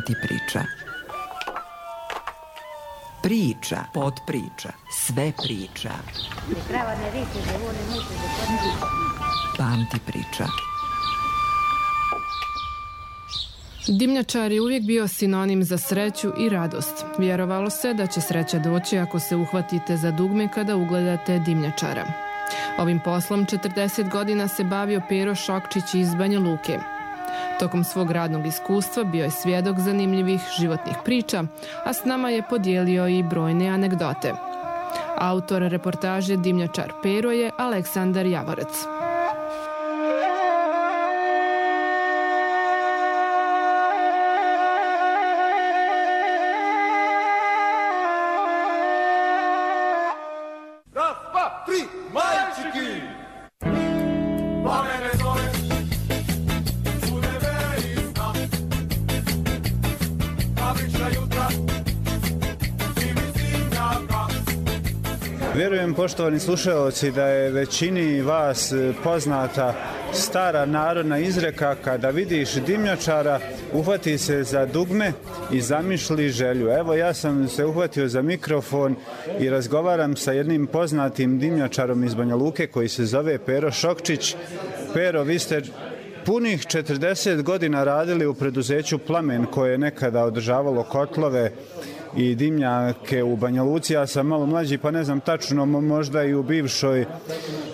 Pamti priča. Priča, podpriča, sve priča. Pamti priča. Dimnjačar je uvijek bio sinonim za sreću i radost. Vjerovalo se da će sreća doći ako se uhvatite za dugme kada ugledate dimnjačara. Ovim poslom 40 godina se bavio Pero Šokčić iz Banja Luke. Tokom svog radnog iskustva bio je svjedok zanimljivih životnih priča, a s nama je podijelio i brojne anegdote. Autor reportaže Dimnjačar Pero je Aleksandar Javorac. Vjerujem, poštovani slušaoci, da je većini vas poznata stara narodna izreka: kada vidiš dimnjačara, uhvati se za dugme i zamišli želju. Evo, ja sam se uhvatio za mikrofon i razgovaram sa jednim poznatim dimnjačarom iz Banja Luke koji se zove Pero Šokčić. Pero, vi ste punih 40 godina radili u preduzeću Plamen, koje je nekada održavalo kotlove i dimnjake u Banja Luci. Ja sam malo mlađi pa ne znam tačno, možda i u bivšoj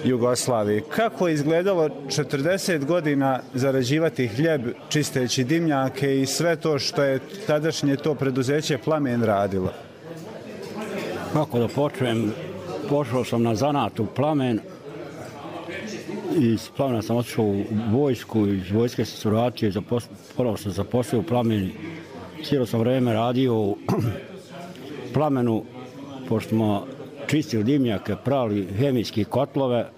Jugoslaviji. Kako je izgledalo 40 godina zarađivati hljeb čisteći dimnjake i sve to što je tadašnje to preduzeće Plamen radilo? Kako da počnem? Pošao sam na zanat u Plamen. Iz Plamena sam otišao u vojsku, iz vojske sam se vratio, ponovo sam zaposlio u Plamen. Cijelo sam vreme radio u Plamenu, pošto smo čistili dimnjake, pravili hemijske kotlove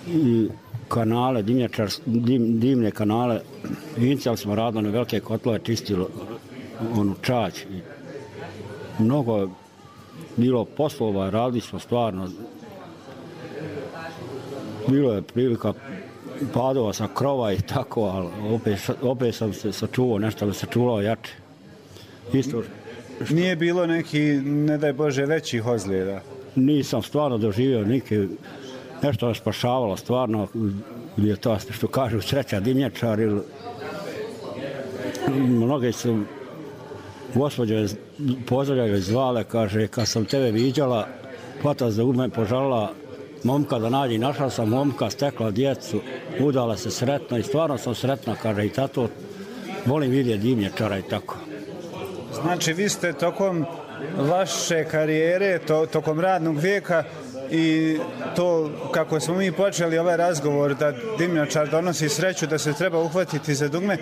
i kanale, dimne kanale. Inicijalno smo radili na velike kotlove, čistili onu čać. Mnogo je bilo poslova, radili smo stvarno. Bilo je prilika padova sa krova i tako, ali opet sam se sačuvao, nešto me sačuvao jače. Isto. Nije bilo neki, ne daj Bože, većih ozljeda? Nisam stvarno doživio nešto me spašavalo stvarno, je to što kažu sreća dimnjačar. Mnoge su gospođe pozdravljaju zvale, kaže, kad sam tebe viđala, hvata za udme požalila momka da nađi, našla sam momka, stekla djecu, udala se sretno i stvarno sam sretna, kaže, i tato, volim vidjeti dimnjačara i tako. Znači, vi ste tokom vaše karijere, tokom radnog vijeka i to kako smo mi počeli ovaj razgovor da dimnjačar donosi sreću, da se treba uhvatiti za dugme,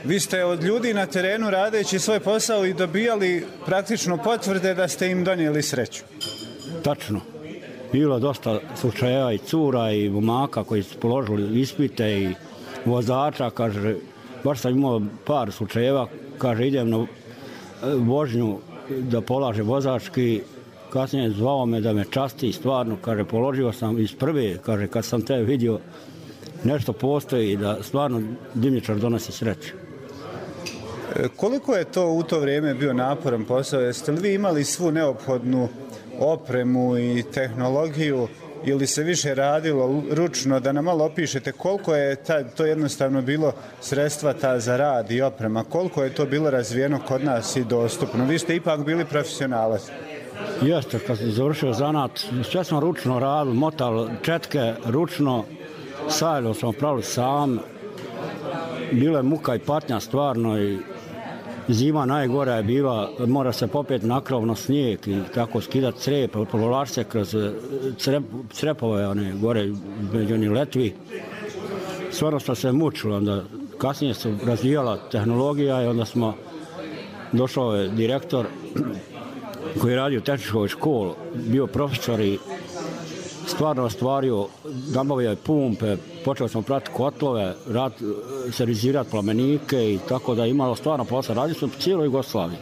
vi ste od ljudi na terenu radeći svoj posao i dobijali praktično potvrde da ste im donijeli sreću. Tačno. Bilo dosta slučajeva i cura i momaka koji su položili ispite i vozača, kaže, baš sam imao par slučajeva, kaže, idem na vožnju da polaže vozački, kasnije zvao me da me časti, stvarno, kaže, položio sam iz prve, kaže, kad sam te vidio, nešto postoji da stvarno dimnjačar donosi sreću. Koliko je to u to vrijeme bio naporan posao? Jeste li vi imali svu neophodnu opremu i tehnologiju ili se više radilo ručno? Da nam malo opišete koliko je to jednostavno bilo sredstva ta za rad i oprema, koliko je to bilo razvijeno kod nas i dostupno? Vi ste ipak bili profesionalac. Jeste, kad sam završio zanat, sve smo ručno radili, motali četke ručno, sajlo smo pravili sam, bilo je muka i patnja stvarno i zima najgora je bila, mora se popeti na krov na snijeg i tako skidati crep, provlači se kroz crepove, one gore među onih letvi. Stvarno smo se mučili, onda kasnije se razvijala tehnologija i onda smo, došao je direktor koji je radio u tehničkoj školi, bio profesor i stvarno ostvario, nabavio je pumpe, počeli smo pratiti kotlove, servisirati plamenike i tako da je imalo stvarno posla. Radili smo po cijeloj Jugoslaviji.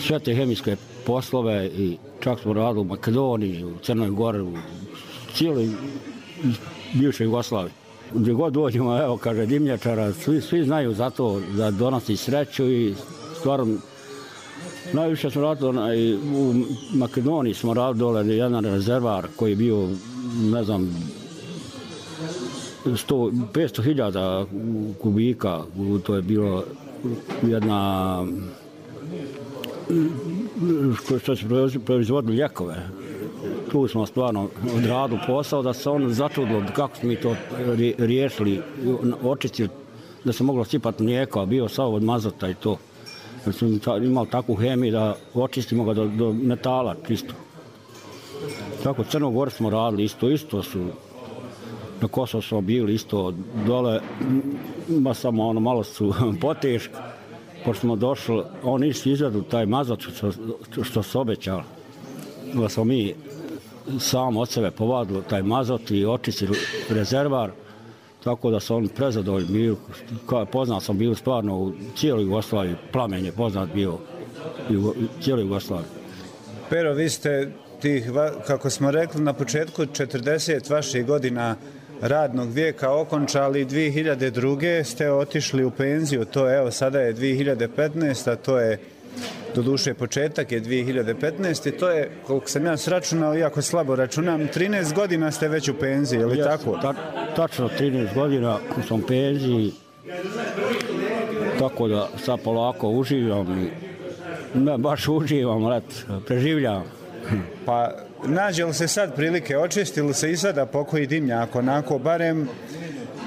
Sve te hemijske poslove i čak smo radili u Makedoniji, u Crnoj Gori, u cijeloj bivšoj Jugoslaviji. Gdje god dođemo, evo, kaže, dimnjačara, svi znaju za to da donosi sreću i stvarno najviše smo radili, u Makedoniji smo radili dole jedan rezervar koji je bio, ne znam, 500.000 kubika, to je bilo jedna što se proizvodili ljekove. Tu smo stvarno odradili posao da se on začudilo kako smo mi to riješili, očistili da se moglo sipati mlijeko, a bio sav od mazota i to. Jer smo imali takvu hemiju da očistimo ga do metala čisto. Tako, Crnogor smo radili isto su, na Kosovo smo bili isto dole, samo malo su poteški. Pošto smo došli, oni izvedu taj mazot što su obećali. Da smo mi sam od sebe povadili taj mazot i očistili rezervar, tako da su oni prezadovoljni bili. Poznat sam bio stvarno u cijeloj Jugoslaviji, Plamen je poznat bio u cijeloj Jugoslaviji. Pero, vi ste tih, kako smo rekli na početku, 40 vaših godina radnog vijeka okončali, 2002. ste otišli u penziju, to evo sada je 2015. a to je doduše početak je 2015. i to je, koliko sam ja sračunao, iako slabo računam, 13 godina ste već u penziji, je li tako? Tačno 13 godina sam u penziji, tako da sad polako uživam i ne baš uživam, preživljavam. Pa nađe li se sad prilike, očisti li se i sada pokoji dimnjak, onako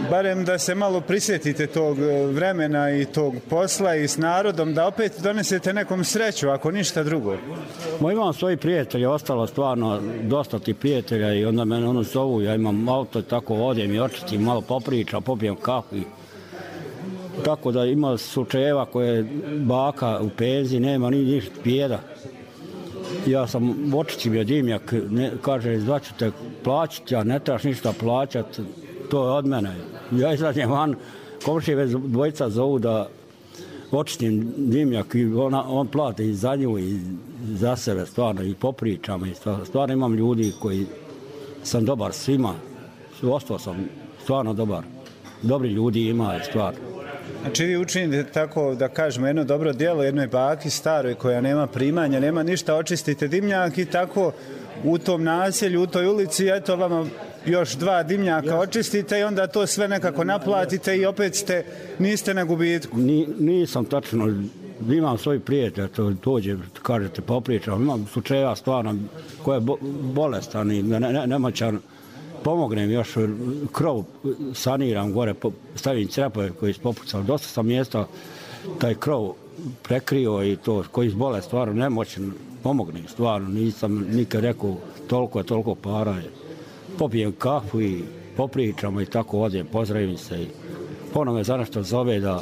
barem da se malo prisjetite tog vremena i tog posla i s narodom, da opet donesete nekom sreću, ako ništa drugo? Imam svoji prijatelje, ostalo stvarno dosta ti prijatelja i onda me zovu, ja imam auto i tako odem i očistim, malo popričam, popijem kafu. Tako da ima slučajeva koje baka u penziji, nema ni ništa pjeda. Ja sam očistim je dimnjak, kaže, zvaću te plaćati, ja ne trebaš ništa plaćati, to je od mene. Ja izađem van, komšije već dvojica zovu da očistim dimnjak i on plati i za nju i za sebe stvarno i popričam. I stvarno imam ljudi koji sam dobar svima, ostao sam stvarno dobar. Dobri ljudi ima stvarno. Znači vi učinite tako, da kažemo, jedno dobro djelo jednoj baki staroj koja nema primanja, nema ništa, očistite dimnjak i tako u tom naselju, u toj ulici, eto vama još 2 dimnjaka očistite i onda to sve nekako naplatite i opet niste na gubitku. Nisam tačno, imam svoj prijatelj, to dođe, kažete, popričam, imam slučajeva stvarno koja je bolestan i nemoćan, pomognem još, krov saniram gore, stavim crepove koji su popucali, dosta sam mjesta taj krov prekrio i to, koji su bole stvarno nemoćan, pomognem stvarno, nisam nikad rekao toliko para je. Popijem kafu i popričamo i tako odem, pozdravim se i ponovno me za nešto zove da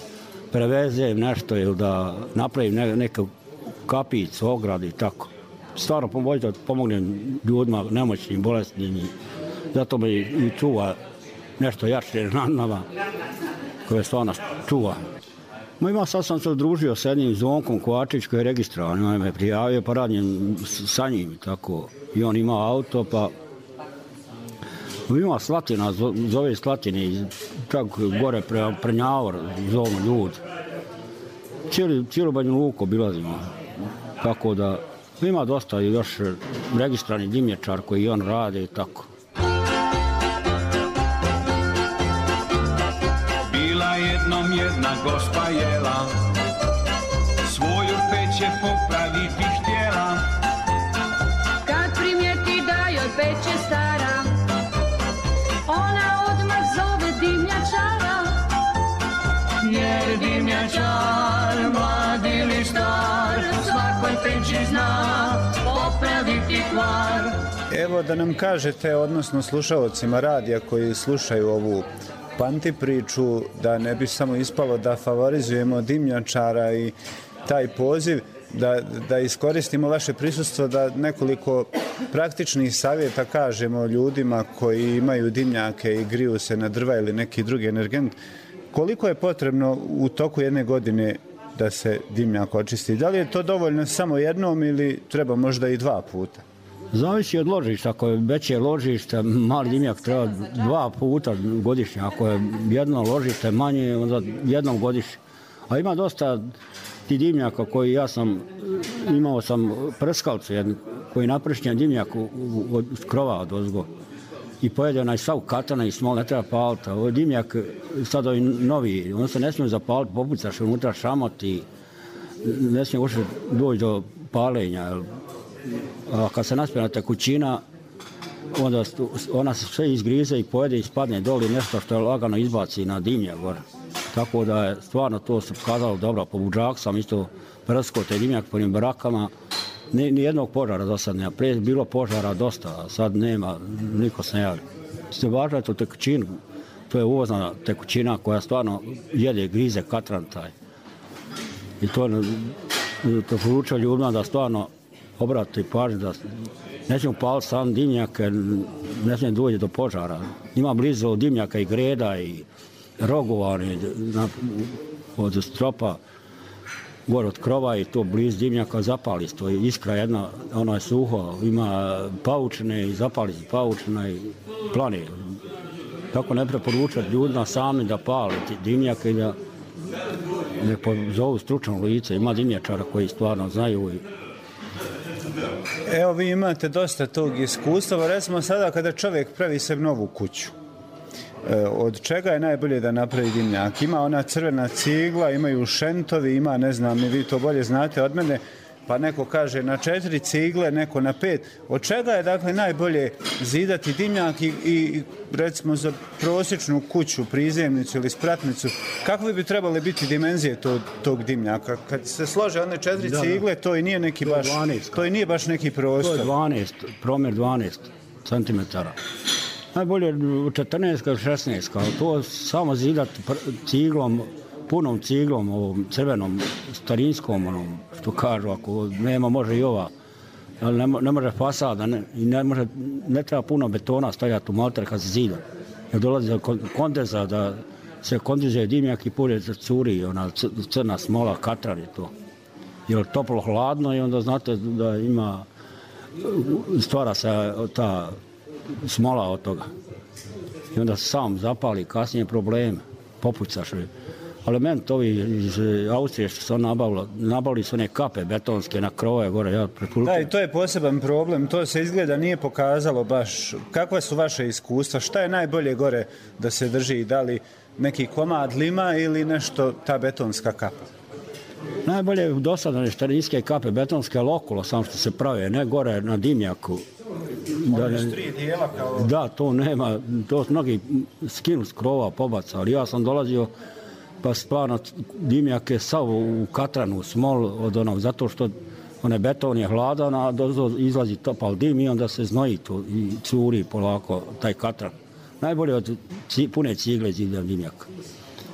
prevezem nešto ili da napravim neku kapicu, ogradu i tako. Stvarno pomognem ljudima nemoćnim, bolesnim i zato me i čuva nešto jače nad nama koje stvarno čuva. Sad sam se udružio s jednim Zvonkom Kovačić koji je registrovan, on me prijavio pa radim sa njim tako i on ima auto pa ima Slatina, zove Slatini, tako gore Prnjavor, zovu ljudi. Cijelu Banju Luku obilazimo, tako da ima dosta još registrani dimnjačar koji on rade i tako. Bila jednom jedna gospa jela, svoju peć je popraviti htjela. Kad primijeti da joj peć je stara, ona odmah zove dimnjačara. Jer dimnjačar, mlad ili star, svakoj peći zna popraviti kvar. Evo da nam kažete, odnosno slušalcima radija koji slušaju ovu Panti priču, da ne bi samo ispalo da favorizujemo dimnjačara i taj poziv, da iskoristimo vaše prisustvo, da nekoliko praktičnih savjeta kažemo ljudima koji imaju dimnjake i griju se na drva ili neki drugi energent. Koliko je potrebno u toku jedne godine da se dimnjak očisti? Da li je to dovoljno samo jednom ili treba možda i 2 puta? Zavisi od ložišta, ako je veće ložište, mali dimnjak treba 2 puta godišnje, ako je jedno ložište manje, onda jednom godišnje. A ima dosta ti dimnjaka koji imao sam prskalcu jednu, koji napršnjen dimnjak od krova od ozgo. I pojede onaj sav katana i smol, ne treba paliti. Ovo je dimnjak, sad ovi novi, on se ne smije zapaliti, popucaš unutra šamot i ne smije uopšte doći do palenja. A kad se naspjena tekućina, onda ona se sve izgrize i pojede i spadne doli nešto što je lagano izbaci na dimnjak gore. Tako da je stvarno to se pokazalo dobro. Po buđaku sam isto prskao te dimnjak po njim barakama. Nijednog požara do sad nema. Prije bilo požara dosta, a sad nema, niko se ne javi. Ste važali tu tekućinu, to je uvozna tekućina koja stvarno jede, grize katran taj. I to poručuje ljudima da stvarno obrati pažnju da ne smijemo paliti sam dimnjak, ne smijemo doći do požara. Ima blizu dimnjaka i greda i rogova od stropa, gore od krova i to blizu dimnjaka zapali se. To je iskra jedna, ono je suho, ima paučine i zapali se paučina i plane. Tako ne preporučati ljudima sami da pali dimnjaka i da ne pozovu stručno lice. Ima dimnjačara koji stvarno znaju. Evo, vi imate dosta tog iskustva. Recimo sada kada čovjek pravi se novu kuću, od čega je najbolje da napravi dimnjak? Ima ona crvena cigla, imaju šentovi, ima, ne znam, vi to bolje znate od mene, pa neko kaže na 4 cigle, neko na 5. Od čega je dakle najbolje zidati dimnjak i recimo za prosječnu kuću, prizemnicu ili spratnicu, kakve bi trebale biti dimenzije tog dimnjaka? Kad se slože one 4 cigle, to i nije neki baš, to i nije baš neki prostor. To je 12, promjer 12 centimetara. Najbolje 14 ili 16, ali to samo zidati ciglom, punom ciglom, ovom crvenom, starinskom, onom, što kažu, ako nema, može i ova, ali ne može fasada, ne treba puno betona stavljati u malter kad se zida. Jer dolazi do kondenza, da se kondenzuje dimnjak i pulje curi, ona crna smola, katran je to. Jer toplo hladno i onda znate da ima, stvara se ta smola od toga. I onda se sam zapali, kasnije probleme, popucaš. Ali meni to iz Austrije što su nabavili su one kape betonske na krove gore, ja preporučujem. Da, i to je poseban problem, to se izgleda nije pokazalo baš. Kakva su vaše iskustva? Šta je najbolje gore da se drži? Da li neki komad lima ili nešto ta betonska kapa? Najbolje je dosadane starinske kape betonske, ali okolo sam što se prave, ne gore na dimnjaku. Da, to nema, to mnogi skinu s krova, pobaca, ali ja sam dolazio pa stvarno dimnjak je sav u katranu, smol od onog, zato što onaj beton je hladan, a izlazi topal dim i onda se znoji to i curi polako taj katran. Najbolje od pune cigle zidam dimnjak.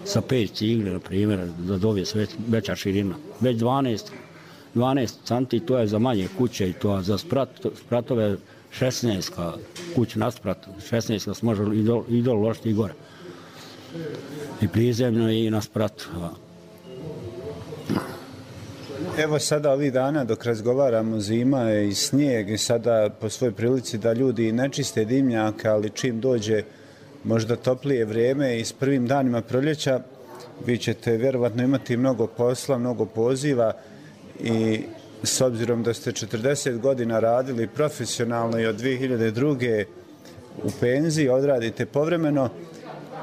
Sa 5 cigle, na primjer, da dobije sve veća širina. Već 12 cm, to je za manje kuće i to, a za spratove 16 kuća nasprat, 16 se može i dole ložiti i gore. I prizemno i na spratu. Evo sada ovih dana dok razgovaramo, zima je i snijeg i sada po svojoj prilici da ljudi ne čiste dimnjaka, ali čim dođe možda toplije vrijeme i s prvim danima proljeća vi ćete vjerovatno imati mnogo posla, mnogo poziva i s obzirom da ste 40 godina radili profesionalno i od 2002. u penziji, odradite povremeno,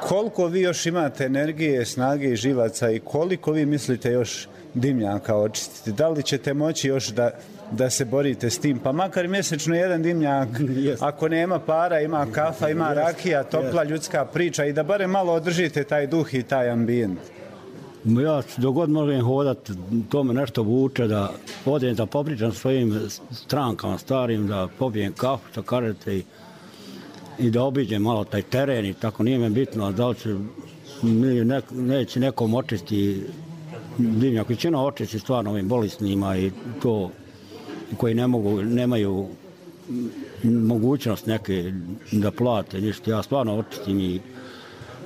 koliko vi još imate energije, snage i živaca i koliko vi mislite još dimnjaka očistiti? Da li ćete moći još da se borite s tim? Pa makar mjesečno jedan dimnjak, ako nema para, ima kafa, ima rakija, topla ljudska priča i da barem malo održite taj duh i taj ambijent. Ja dogod možem hodati, to me nešto vuče da odem da popričam svojim strankama starim, da popijem kafu, što kažete, i da obiđem malo taj teren i tako, nije me bitno da li će neće nekom očisti dimnjak. Većina očisti stvarno ovim bolesnima i to koji nemaju mogućnost neke da plate ništa. Ja stvarno očistim i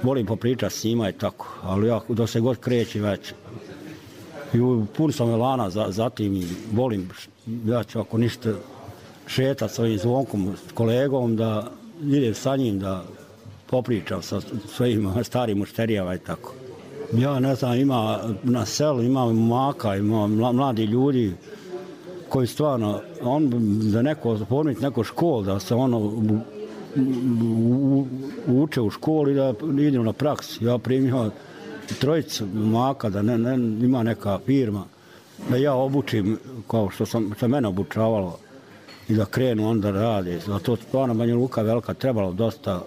volim popričati s njima i tako, ali ja dok se god kreći već i pun sam elana za tim i volim, ja ću ako ništa šetati s ovim Zvonkom, s kolegom, da idem sa njim, da popričam sa svojim starim mušterijama i tako. Ja ne znam, ima na selu, ima momaka, ima mladi ljudi koji stvarno, da neko formiti neku školu, da se uče u školi, da idem na praksi. Ja primio 3 momaka, da ima neka firma, da ja obučim kao što mene obučavalo i da krenu onda radi. Zato stvarno Banja Luka velika, trebalo dosta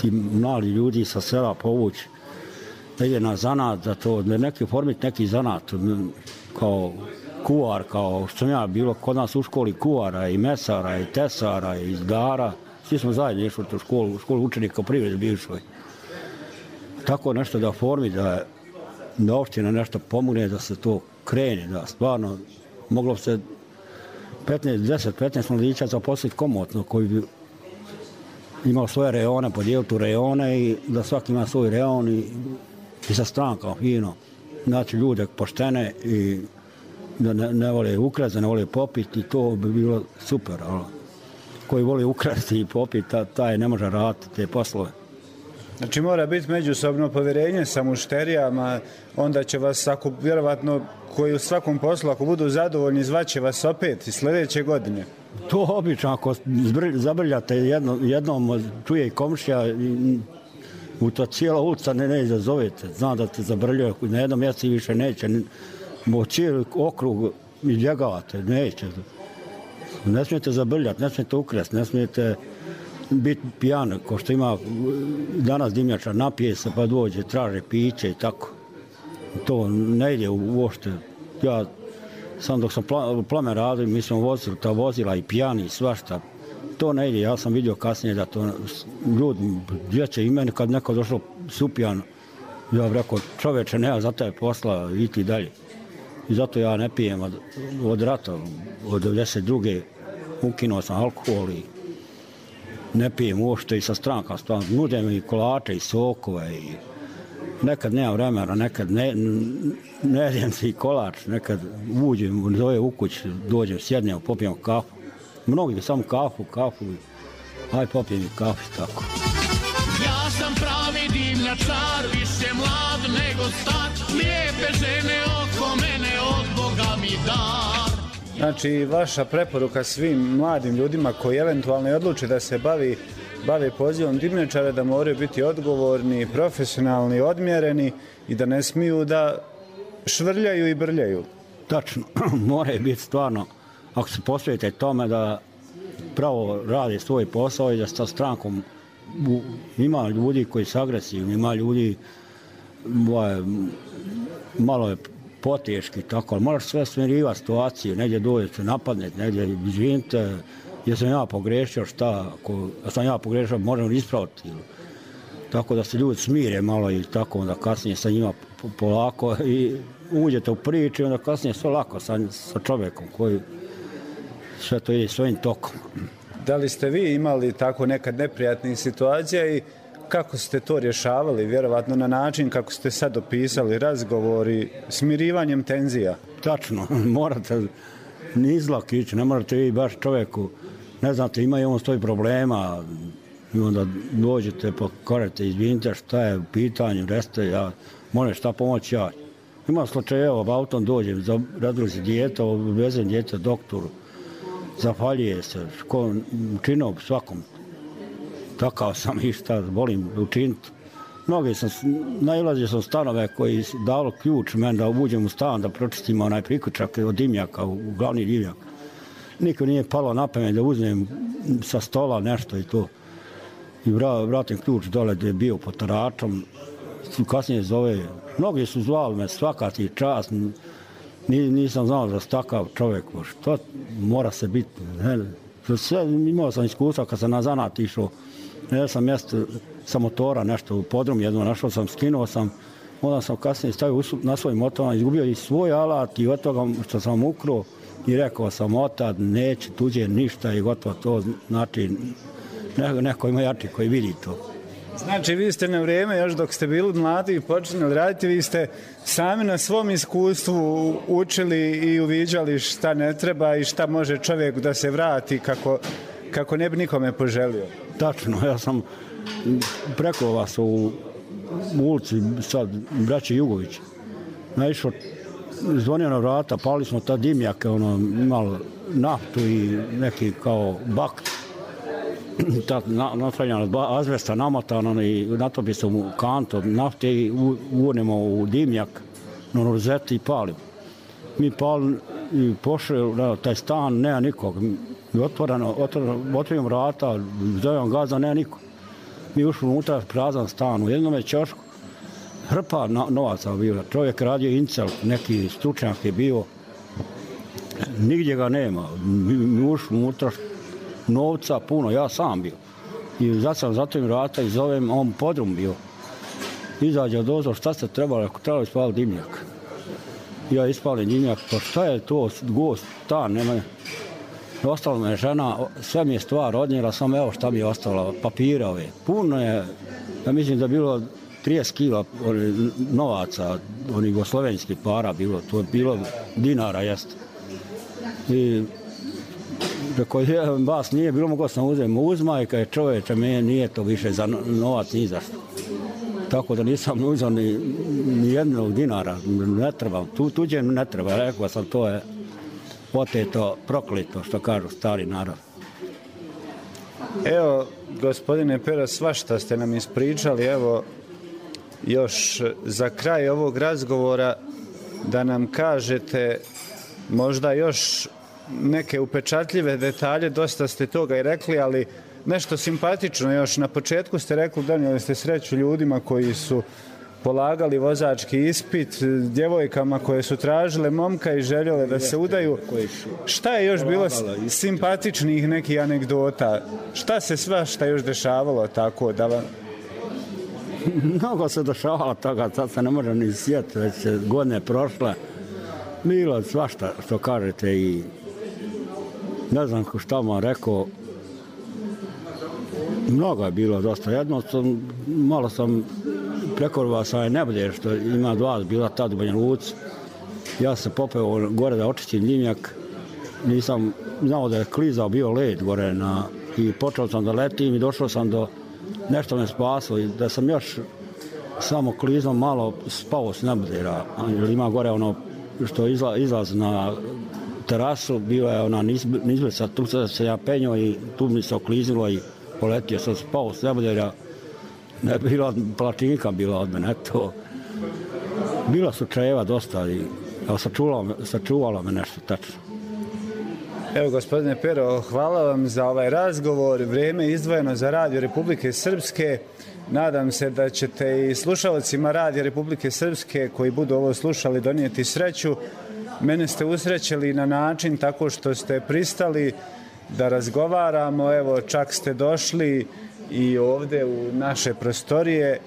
ti mladi ljudi sa sela povući, da ide na zanat, za to, da formiti neki zanat, kao kuvar, kao što sam ja bilo kod nas u školi kuvara i mesara i tesara i izdara. Svi smo zajedno išli u školu učenika u privredi bivšoj. Tako nešto da formi, da opština nešto pomogne, da se to krene, da stvarno moglo se 10-15 mladića zaposliti komotno, koji bi imao svoje reone, podijeliti u reone i da svaki ima svoj reon i sa strankom fino. Znači ljude poštene i da ne vole ukrasti, ne vole popiti, to bi bilo super. Ali koji voli ukrasti i popiti, taj ne može raditi te poslove. Znači mora biti međusobno povjerenje sa mušterijama, onda će vas, ako vjerovatno koji u svakom poslu, ako budu zadovoljni, zvaće vas opet i sljedeće godine. To obično, ako zabrljate jednom, čuje i komšija, u to cijela ulica ne izazovete, zna da te zabrljaju, na jednom mjestu više neće, cijeli okrug izbjegavate, neće. Ne smijete zabrljati, ne smijete ukrasti, ne smijete biti pijan, ko što ima danas dimnjačar, napije se pa dođe, traže piće i tako. To ne ide uopšte. Ja sam dok sam Plamen radio, mi smo vozili ta vozila i pijani i svašta. To ne ide, ja sam vidio kasnije da to ljudi, djeće i meni kad neko došao supijan, ja bih rekao, čoveče, nema za taj posla, iti dalje. I zato ja ne pijem od rata, od 92. ukinuo sam alkohol i ne pijem uopšte i sa stranka. Nude mi kolače i sokove i nekad nema vremena, nekad ne jedem se i kolač, nekad uđem, zove u kuć, dođem, sjednem, popijem kafu. Mnogi samo kafu, aj popijem i kafu i tako. Ja sam pravi dimnjačar, više mlad nego star, lijepe žene oko mene, od Boga mi dar. Znači, vaša preporuka svim mladim ljudima koji eventualno odluče da se bave pozivom dimnjačara, da moraju biti odgovorni, profesionalni, odmjereni i da ne smiju da švrljaju i brljaju. Tačno, moraju biti stvarno, ako se posvetite tome da pravo radi svoj posao i da sa strankom ima ljudi koji su agresivni, ima ljudi malo je poteški, tako, ali moraš sve smirivati situaciju, negdje dođete napadnete, negdje izvinite, jesam ja pogrešio, šta, ako sam ja pogrešio, možemo ispraviti. Tako da se ljudi smire malo i tako, onda kasnije sa njima polako i uđete u priču i onda kasnije sve lako sa čovjekom koji sve to ide svojim tokom. Da li ste vi imali tako nekad neprijatnih situacija i kako ste to rješavali, vjerovatno na način kako ste sad opisali, razgovori, smirivanjem tenzija? Tačno, morate nizlak ići, ne morate vi baš čovjeku, ne znate, ima i on svoj problema, i onda dođete, pokorete, izvinite šta je u pitanju, reste, ja moram šta pomoći ja. Ima slučajeva, autom dođem, razgruzi dijete, vezem dijete doktoru, zafaljuje se, učinom svakom. Takav sam i šta volim učiniti. Mnogi nailazio sam stanove koji dalo ključ meni da uđem u stan, da pročistim onaj priključak od dimnjaka, u glavni dimnjak. Niko nije palo na pamet da uzmem sa stola nešto i to. I vratim ključ dole gdje je bio pod taračom. Kasnije zove, mnogi su zvali me svaka ti čast. Nisam znao da je takav čovjek. Što mora se biti? Sve, imao sam iskustva kad sam na zanat išao. Ja sam mjesto sa motora nešto u podrum jedno našao sam, skinuo sam. Onda sam kasnije stavio na svoj motor, izgubio i svoj alat i od toga što sam ukrao i rekao sam otad, neće tuđe ništa i gotovo to. Znači, neko ima jači koji vidi to. Znači, vi ste na vrijeme, još dok ste bili mladi i počinjali raditi, vi ste sami na svom iskustvu učili i uviđali šta ne treba i šta može čovjek da se vrati kako ne bi nikome poželio. Tačno, ja sam preko vas u ulici, sad, braće Jugović, naišao, zvonio na vrata, pali smo ta dimnjake, imali naftu i neki kao bak, napravljena azbesta namotana i natopi se u kantu nafte i uvonimo u dimnjak na rozeti i palimo. Mi palimo i pošli na taj stan, nema nikog. Mi otvorimo vrata, zovem gaza, nema nikog. Mi ušli unutra, prazan stan, u jednom je ćošku, hrpa novaca bila. Čovjek radio incel, neki stručnjak je bio, nigdje ga nema. Mi ušli unutra, novca puno, ja sam bio. I zatvorim vrata i zovem, on podrum bio. Izađe od ozor, šta ste trebali, ako trebali ispaliti dimnjak. Ja ispalim dimnjak, pa šta je to, gost, stan, nema. Ostala me žena, sve mi je stvar odnijela, samo evo šta mi je ostalo, papira ove. Puno je, ja mislim da je bilo 30 kila novaca, onih jugoslovenskih para bilo, to je bilo dinara, jeste. I rekao je, vas nije bilo, mogo sam uzmaj, kad je čovječe, meni nije to više za novac ni za što. Tako da nisam uzao ni jednog dinara, ne trebam, tuđe ne treba, rekao sam, to je oteto, proklito, što kažu stari narod. Evo, gospodine Pero, svašta ste nam ispričali, evo, još za kraj ovog razgovora da nam kažete možda još neke upečatljive detalje, dosta ste toga i rekli, ali nešto simpatično još. Na početku ste rekli, donijeli ste sreću ljudima koji su polagali vozački ispit, djevojkama koje su tražile momka i željele da se udaju. Šta je još bilo simpatičnih nekih anegdota? Šta se svašta još dešavalo tako da vam... Mnogo se dešavalo toga, sad se ne može ni sjetiti, već godine prošle. Bilo svašta što kažete i ne znam šta vam rekao. Mnogo je bilo dosta. Jedno malo sam prekorvao sa Nebodjer, što ima dva, bila tad u Banja Luci. Ja sam popeo gore da očistim dimnjak. Nisam znao da je klizao bio led gore i počeo sam da letim i došao sam do nešto me spasilo i da sam još samo klizao malo spao s Nebodjera. Ima gore ono što izlaz na terasu, bila je ona nizblica, tu se ja penjao i tu mi se okliznilo i poletio sam, spao s Nebodjera. Ne bila platinka bila od mene, eto. Bila su čajeva dosta i sačuvalo me nešto tačno. Evo, gospodine Pero, hvala vam za ovaj razgovor. Vrijeme izdvojeno za Radio Republike Srpske. Nadam se da ćete i slušalcima Radio Republike Srpske koji budu ovo slušali donijeti sreću. Mene ste usrećili na način tako što ste pristali da razgovaramo. Evo, čak ste došli i ovdje u naše prostorije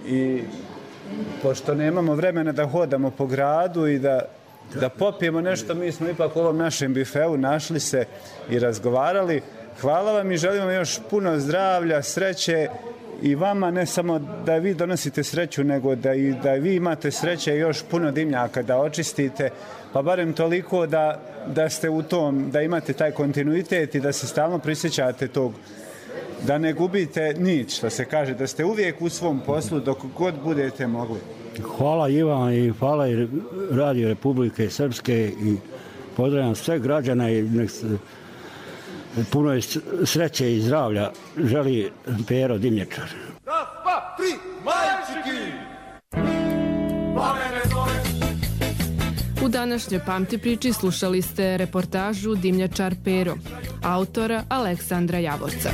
i pošto nemamo vremena da hodamo po gradu i da popijemo nešto, mi smo ipak u ovom našem bifeu našli se i razgovarali. Hvala vam i želim vam još puno zdravlja, sreće i vama, ne samo da vi donosite sreću, nego da vi imate sreće i još puno dimnjaka da očistite, pa barem toliko da ste u tom, da imate taj kontinuitet i da se stalno prisjećate tog, da ne gubite nič, što se kaže, da ste uvijek u svom poslu dok god budete mogli. Hvala Ivan i hvala i Radio Republike Srpske i pozdravljam sve građane i puno sreće i zdravlja želi Pero Dimnjačar. Raz, dva, tri, majčiki! U današnjoj Pamti priči slušali ste reportažu Dimnjačar Pero, autora Aleksandra Javorca.